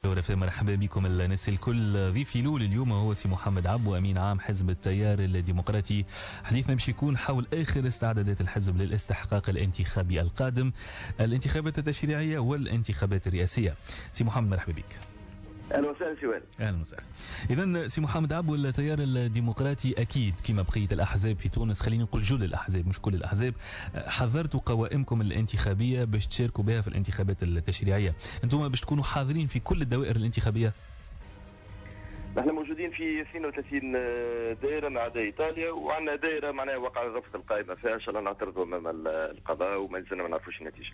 ورفاق، مرحبا بكم الناس الكل. ضيفي الاول اليوم هو سي محمد عبو، امين عام حزب التيار الديمقراطي. حديثنا باش يكون حول اخر استعدادات الحزب للاستحقاق الانتخابي القادم، الانتخابات التشريعية والانتخابات الرئاسية. سي محمد مرحبا بك. اهلا وسهلا سي وائل. اهلا وسهلا. اذا سي محمد عبو، التيار الديمقراطي اكيد كما بقية الاحزاب في تونس، خلينا نقول جل الاحزاب مش كل الاحزاب، حضرتوا قوائمكم الانتخابية باش تشاركوا بها في الانتخابات التشريعية. انتم باش تكونوا حاضرين في كل الدوائر الانتخابية؟ نحن موجودين في 32 دائرة ما عدا ايطاليا، وعندنا دائرة معناها وقع رفض القائمة فيها، ان شاء الله نعترضوا امام القضاء وما زلنا ما نعرفوش النتيجة.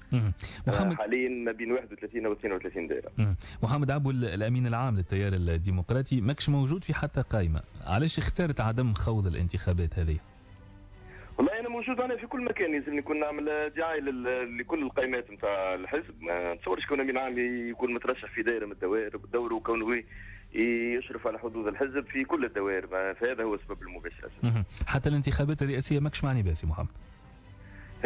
محمد حاليا ما بين 31 و 32 دائرة. محمد عبو، الامين العام للتيار الديمقراطي، ماكش موجود في حتى قائمة، علاش اخترت عدم خوض الانتخابات هذه؟ والله انا موجود انا في كل مكان، لازم نكون نعمل دعاية لكل القائمات نتاع الحزب. ما نتصورش كون امين عام يكون مترشح في دائرة من الدوائر، دوره كونه يشرف على حظوظ الحزب في كل الدوائر، فهذا هو السبب المباشر. حتى الانتخابات الرئاسية ماكش معني بها سي محمد؟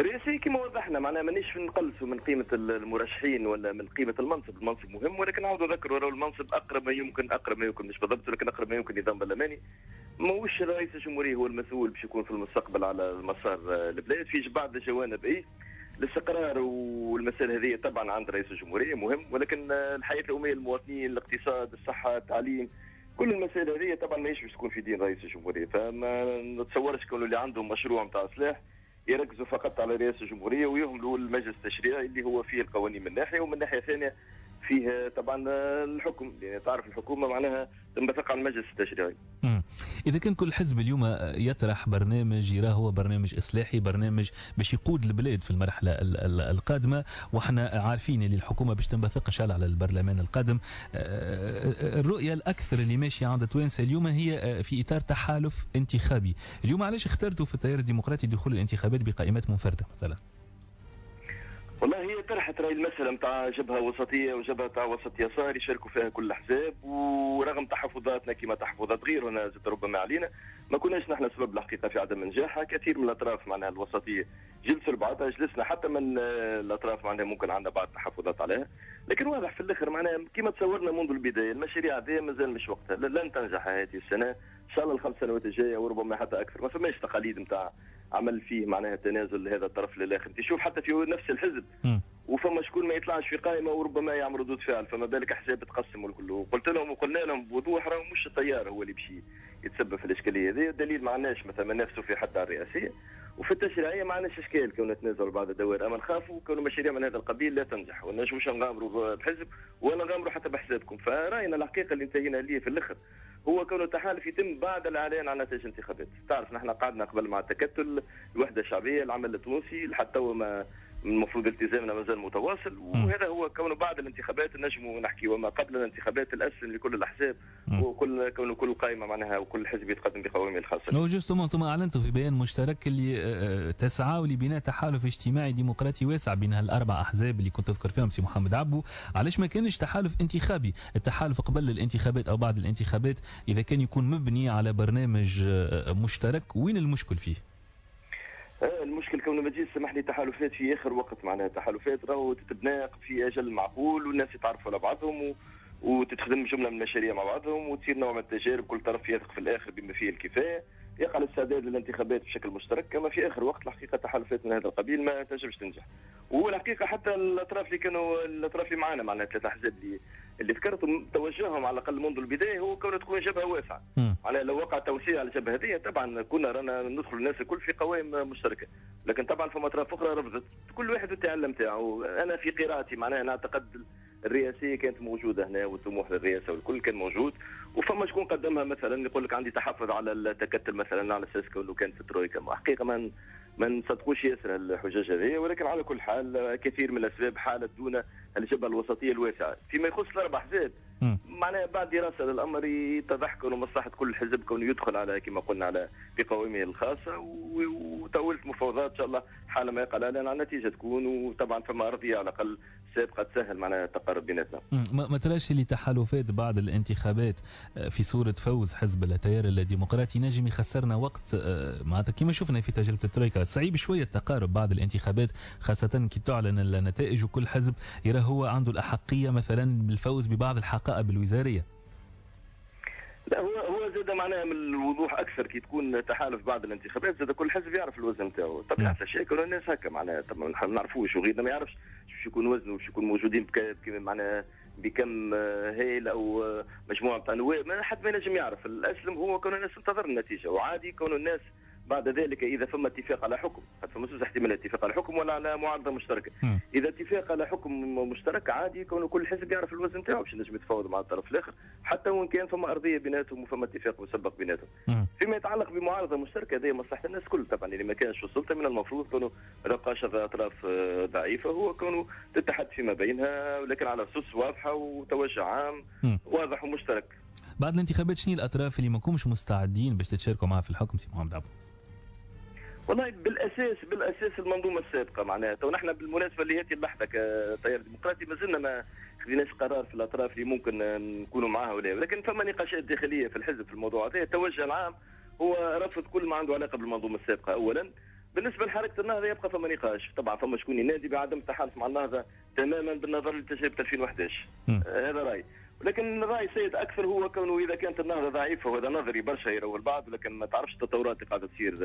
الرئاسية كما وضحنا معناها مانيش نقلصوا من قيمة المرشحين ولا من قيمة المنصب، المنصب مهم، ولكن نعاود نذكر راهو المنصب اقرب ما يمكن، اقرب ما يمكن مش بالضبط ولكن اقرب ما يمكن نظام برلماني. ماهوش رئيس الجمهورية هو المسؤول باش يكون في المستقبل على مسار البلاد، في بعض الجوانب اي الاستقرار والمسائل هذه طبعا عند رئيس الجمهورية مهم، ولكن الحياة اليومية للمواطنين، الاقتصاد، الصحة، التعليم، كل المسائل هذه طبعا ماهيش باش تكون في دين رئيس الجمهورية. فما نتصورش كون اللي عندهم مشروع نتاع سلاح يركزوا فقط على رئاسة الجمهورية ويهملوا المجلس التشريعي اللي هو فيه القوانين من ناحية، ومن ناحية ثانية فيه طبعا الحكم، يعني تعرف الحكومة معناها تنبثق على المجلس التشريعي. إذا كان كل حزب اليوم يطرح برنامج يراه هو برنامج إصلاحي، برنامج باش يقود البلاد في المرحلة القادمة، وإحنا عارفين اللي الحكومة باش تنبثق إن شاء الله على البرلمان القادم، الرؤية الأكثر اللي ماشية عند توانسة اليوم هي في إطار تحالف انتخابي. اليوم علاش اخترتوا في التيار الديمقراطي دخول الانتخابات بقائمات منفردة مثلا؟ والله هي طرحت راي المسألة نتاع جبهة وسطية وجبهة تاع وسط يسار يشاركوا فيها كل الأحزاب، ورغم تحفظاتنا كما تحفظات غيرنا زاد ربما علينا، ما كناش نحن سبب الحقيقة في عدم نجاحها. كثير من الأطراف معناها الوسطية جلسوا لبعضها، جلسنا حتى من الأطراف معناها ممكن عندنا بعض التحفظات عليها، لكن واضح في الآخر معناها كما تصورنا منذ البداية المشاريع هذه مازال مش وقتها، لن تنجح هذه السنة إن شاء الله الخمس سنوات الجاية وربما حتى أكثر. ما فماش تقاليد نتاع عمل فيه معناها تنازل لهذا الطرف للاخر، انت شوف حتى في نفس الحزب وفما شكون ما يطلعش في قائمة وربما يعمل ردود فعل، فما بالك احزاب تقسم والكل. وقلت لهم وقلنا لهم بوضوح راهو مش التيار هو اللي باش يتسبب في الاشكالية هذه، الدليل ما عندناش مثلا نافسوا في حتى على الرئاسية وفي التشريعية ما عندناش اشكال كون نتنازلوا بعض الدوائر، اما نخافوا كون مشاريع من هذا القبيل لا تنجح، وما نجموش نغامروا بحزب ولا نغامروا حتى بحسابكم. فراينا الحقيقة اللي انتهينا ليه في الاخر هو كون التحالف يتم بعد الاعلان عن نتائج الانتخابات. تعرف نحن قعدنا قبل مع التكتل، الوحدة الشعبية، العمل التونسي، لحتى توا ما المفروض التزامنا مازال متواصل، وهذا هو كونه بعد الانتخابات نجموا نحكي، وما قبل الانتخابات الاسلم لكل الاحزاب وكل كون كل قائمة معناها وكل حزب يتقدم بقوائمه الخاصة. و justement انتم اعلنتوا في بيان مشترك اللي تسعوا لبناء تحالف اجتماعي ديمقراطي واسع بين هالاربع احزاب اللي كنت تذكر فيهم سي محمد عبو، علاش ما كانش تحالف انتخابي؟ التحالف قبل الانتخابات او بعد الانتخابات اذا كان يكون مبني على برنامج مشترك، وين المشكل فيه؟ المشكل كونه ما تجيش سمح لي تحالفات في اخر وقت، معناها تحالفات راهو تتبنى في اجل معقول والناس يتعرفوا على بعضهم وتتخدم جملة من المشاريع مع بعضهم وتصير نوع من التجارب، كل طرف يثق في الاخر بما فيه الكفاية، يقع الاستعداد للانتخابات بشكل مشترك. كما في اخر وقت الحقيقة تحالفات من هذا القبيل ما تنجمش تنجح. والحقيقة حتى الاطراف اللي كانوا الاطراف اللي معانا معناها ثلاث احزاب اللي ذكرتهم توجههم على الاقل منذ البداية هو كون تكون جبهة واسعة. معناها لو وقع توسيع على الجبهة هذه طبعا كنا رانا ندخل الناس الكل في قوائم مشتركة، لكن طبعا فما اطراف اخرى رفضت، كل واحد التعلم تاعو. انا في قراءتي معناها نعتقد الرئاسية كانت موجودة هنا والطموح للرئاسة والكل كان موجود، وفما شكون قدمها مثلا يقول لك عندي تحفظ على التكتل مثلا على اساس كونه كان في الترويكا. حقيقة ما نصدقوش ياسر الحجاج هذه، ولكن على كل حال كثير من الاسباب حالت دون الجبهة الوسطية الواسعة. فيما يخص الاربع احزاب معناها بعد دراسة للامر يتضح كونه مصلحة كل حزب كونه يدخل على كما قلنا على بقوائمه الخاصة، وطاوله مفاوضات ان شاء الله حال ما يقع الاعلان عن النتيجة تكون، وطبعا فما ارضية على الاقل سابقه تسهل معناها التقارب بيناتنا. ما تراش اللي تحالفات بعد الانتخابات في صوره فوز حزب التيار الديمقراطي نجم يخسرنا وقت، معناتها كما شفنا في تجربه الترويكا صعيب شوية التقارب بعد الانتخابات، خاصة كي تعلن النتائج وكل حزب يرى هو عنده الاحقيه مثلا بالفوز ببعض الحقائب الوزارية. لا هو زاد معناها من الوضوح اكثر كي تكون تحالف بعد الانتخابات، زاد كل حزب يعرف الوزن نتاعو، طبيعة الاشياء كل الناس هكا معناها ما نعرفوش وغيرنا ما يعرفش باش يكون وزنه باش يكون موجودين معناها بكم هيل او مجموعة نتاع نواب، ما حد ما ينجم يعرف. الاسلم هو كون الناس تنتظر النتيجة، وعادي كون الناس بعد ذلك اذا فما اتفاق على حكم، فما زوج احتمالات، اتفاق على حكم ولا على معارضة مشتركة. اذا اتفاق على حكم مشترك عادي كون كل حزب يعرف الوزن نتاعو باش ينجم يتفاوض مع الطرف الاخر، حتى وان كان فما ارضية بيناتهم وفما اتفاق مسبق بيناتهم. فيما يتعلق بمعارضه مشتركة هذه مصلحة الناس الكل طبعا، اللي ما كانش في السلطة من المفروض كونه ما تبقاش اطراف ضعيفة، هو كونه تتحد فيما بينها ولكن على اسس واضحة وتوجه عام واضح ومشترك. بعد الانتخابات شنو الاطراف اللي ما كومش مستعدين باش تتشاركوا معها في الحكم سي محمد عبو؟ والله بالاساس المنظومة السابقة معناها، تو نحن بالمناسبة لهذه اللحظة كتيار ديمقراطي ما زلنا ما خذيناش قرار في الاطراف اللي ممكن نكونوا معاها ولا، ولكن فما نقاشات داخلية في الحزب في الموضوع هذا. التوجه العام هو رفض كل ما عنده علاقة بالمنظومه السابقة اولا. بالنسبة لحركة النهضة يبقى فما نقاش، طبعا فما شكون ينادي بعدم التحالف مع النهضة تماما بالنظر لتجربة 2011، هذا راي. ولكن الراي السيد اكثر هو كونه اذا كانت النهضة ضعيفة، وهذا نظري برشا يروى البعض، ولكن ما تعرفش التطورات اللي قاعدة تصير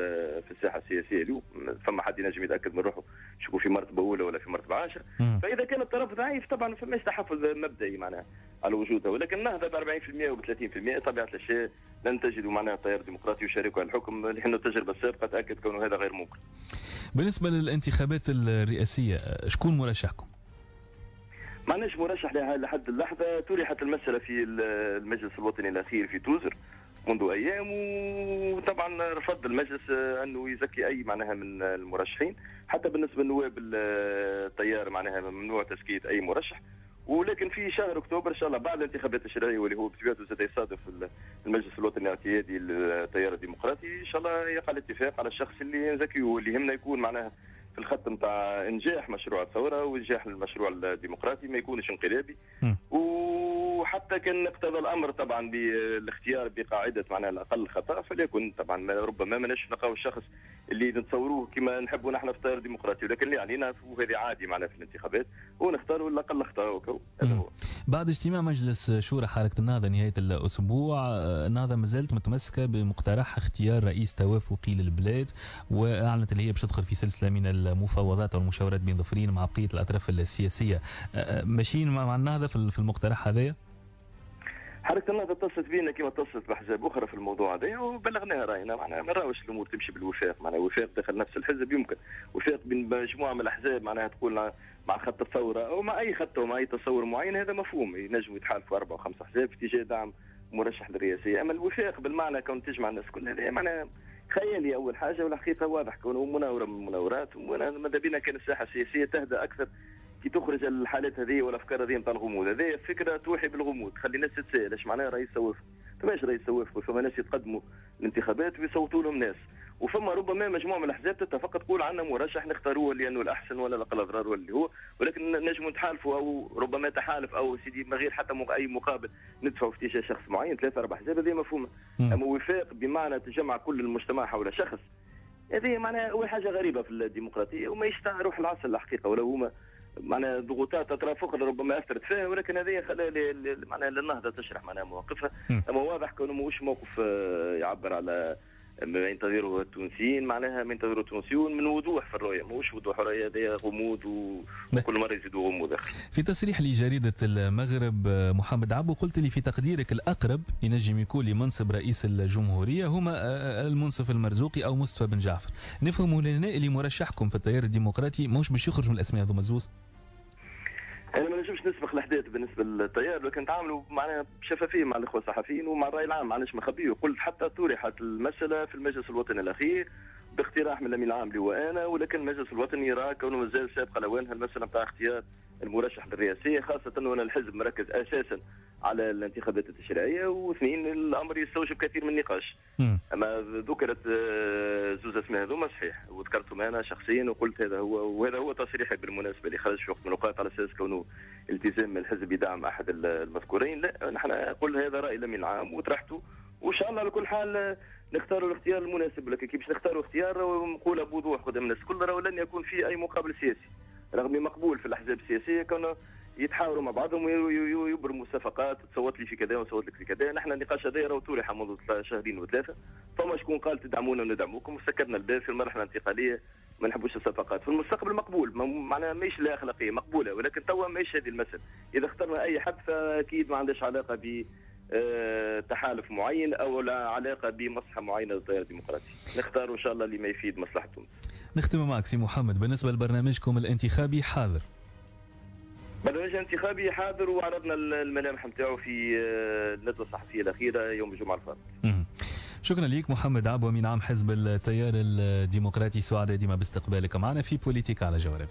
في الساحة السياسية اليوم، فما حد ينجم يتاكد من روحه شكون في مرتبه اولى ولا في مرتبه 10. فاذا كان الطرف ضعيف طبعا ما فماش تحفظ مبدئي معناها على وجودها، ولكن النهضة ب 40% و 30% طبيعة الاشياء لن تجدوا معناها التيار الديمقراطي يشاركوا على الحكم، لأن التجربة السابقة تاكد كونه هذا غير ممكن. بالنسبة للانتخابات الرئاسية شكون مرشحكم؟ ما عندناش مرشح لحد اللحظة. طرحت المسألة في المجلس الوطني الأخير في توزر منذ أيام، وطبعا رفض المجلس أنه يزكي أي معناها من المرشحين، حتى بالنسبة لنواب التيار معناها ممنوع تزكية أي مرشح. ولكن في شهر أكتوبر إن شاء الله بعد الانتخابات التشريعية واللي هو بطبيعته سيصادف المجلس الوطني الاعتيادي للتيار الديمقراطي، إن شاء الله يقع الاتفاق على الشخص اللي نزكيه واللي يهمنا يكون معناها في الخط نتاع انجاح مشروع الثورة وانجاح المشروع الديمقراطي، ما يكونش انقلابي. وحتى كان اقتضى الامر طبعا بالاختيار بقاعدة معناها الاقل خطا فليكن طبعا، ربما ما نلقاو الشخص اللي نتصوروه كما نحبوا نحن في التيار الديمقراطي، ولكن اللي علينا وهذه عادي معناها في الانتخابات ونختاروا الاقل خطا. هذا هو. بعد اجتماع مجلس شورى حركة النهضة نهاية الاسبوع، النهضة ما زالت متمسكة بمقترح اختيار رئيس توافقي للبلاد، واعلنت اللي هي باش تدخل في سلسلة من المفاوضات والمشاورات بين ظفرين مع بقية الاطراف السياسية. ماشيين مع النهضة في المقترح هذايا؟ حركة النهضة اتصلت بينا كما اتصلت بأحزاب أخرى في الموضوع هذا وبلغناها رأينا، معناها ما نراوش الأمور تمشي بالوفاق، معناها وفاق داخل نفس الحزب يمكن، وفاق بين مجموعة من الأحزاب معناها تقول مع خط الثورة أو مع أي خط أو مع أي تصور معين، هذا مفهوم، ينجموا يتحالفوا 4 و5 أحزاب في اتجاه دعم مرشح للرئاسية. أما الوفاق بالمعنى كون تجمع الناس كلها هذا معناها خيالي أول حاجة، والحقيقة واضح كونه مناورة من المناورات، وماذا بينا كان الساحة السياسية تهدأ أكثر كي تخرج الحالات هذه والافكار هذه نتاع الغموض. هذه فكرة توحي بالغموض، تخلي الناس تتساءل اش معناها رئيس توافق؟ فماش رئيس توافق، فما ناس يتقدموا الانتخابات ويصوتوا لهم ناس، وفما ربما مجموعة من الاحزاب تتفق تقول عندنا مرشح نختاروه لانه الاحسن ولا الاقل اضرار ولا اللي هو، ولكن نجموا نتحالفوا او ربما تحالف او سيدي من غير حتى اي مقابل ندفعوا في اتجاه شخص معين 3 4 احزاب، هذه مفهومه. اما وفاق بمعنى تجمع كل المجتمع حول شخص، هذه معناها اول حاجة غريبة في الديمقراطية وما يشتع روح العصر الحقيقة، ولو هما معناها ضغوطات اطراف اخرى ربما اثرت فيها، ولكن هذه خلى معناها للنهضه تشرح معناها مواقفها. اما واضح كونه ماهوش موقف يعبر على ما ينتظره التونسيين، معناها ما ينتظره التونسيون من وضوح في الرؤية، ماهوش وضوح الرؤية، هذا غموض وكل مرة يزيدوا غموض اخر. في تصريح لجريده المغرب محمد عبو قلت لي في تقديرك الاقرب ينجم يكون لمنصب رئيس الجمهورية هما المنصف المرزوقي او مصطفى بن جعفر، نفهموا لنا اللي مرشحكم في التيار الديمقراطي ماهوش باش يخرج من الاسماء هذوما الزوز؟ انا ما نجمش نسبق الاحداث بالنسبة للتيار، لكن نتعاملوا معناها بشفافيه مع الاخوة الصحفيين ومع الراي العام، ما عندناش مخبيه. قلت حتى طرحت المسالة في المجلس الوطني الاخير باقتراح من الامين العام اللي هو انا، ولكن المجلس الوطني يرى كونه مازال سابقه لاوانها المسالة نتاع اختيار المرشح للرئاسيه، خاصة وان الحزب مركز اساسا على الانتخابات التشريعيه، واثنين الامر يستوجب كثير من النقاش. اما ذكرت زوز اسماء هذوما صحيح، وذكرتهم انا شخصيا وقلت هذا هو، وهذا هو تصريحي بالمناسبة اللي خرج في وقت من الاوقات على اساس كونه التزام من الحزب بدعم احد المذكورين. لا، نحن قلنا هذا راي الامين العام وطرحته، وان شاء الله على كل حال نختاروا الاختيار المناسب. لكن كي باش نختاروا اختيار نقولها بوضوح قدام الناس الكل، راهو لن يكون في اي مقابل سياسي، رغم مقبول في الاحزاب السياسية كانوا يتحاوروا مع بعضهم ويبرموا صفقات، تصوت لي في كذا وصوت لك في كذا. نحن النقاش هذا راهو طرح منذ شهرين وثلاثة، فما شكون قال تدعمونا وندعموكم، وسكرنا الباب في المرحلة الانتقالية، ما نحبوش الصفقات. في المستقبل مقبول، معناها ماهيش لا اخلاقية مقبولة، ولكن توا ماهيش هذه المسالة. اذا اخترنا اي حد فاكيد ما عندهاش علاقة ب تحالف معين او لا علاقة بمصلحة معينة للتيار الديمقراطي. نختار ان شاء الله اللي ما يفيد مصلحة تونس. نختم معك سي محمد، بالنسبة لبرنامجكم الانتخابي حاضر؟ برنامج انتخابي حاضر، وعرضنا الملامح نتاعو في الندوة الصحفية الاخيرة يوم الجمعة الفارط. شكرا لك محمد عبو، امين عام حزب التيار الديمقراطي، سعداء ديما باستقبالك معنا في بوليتيك على جوهرة.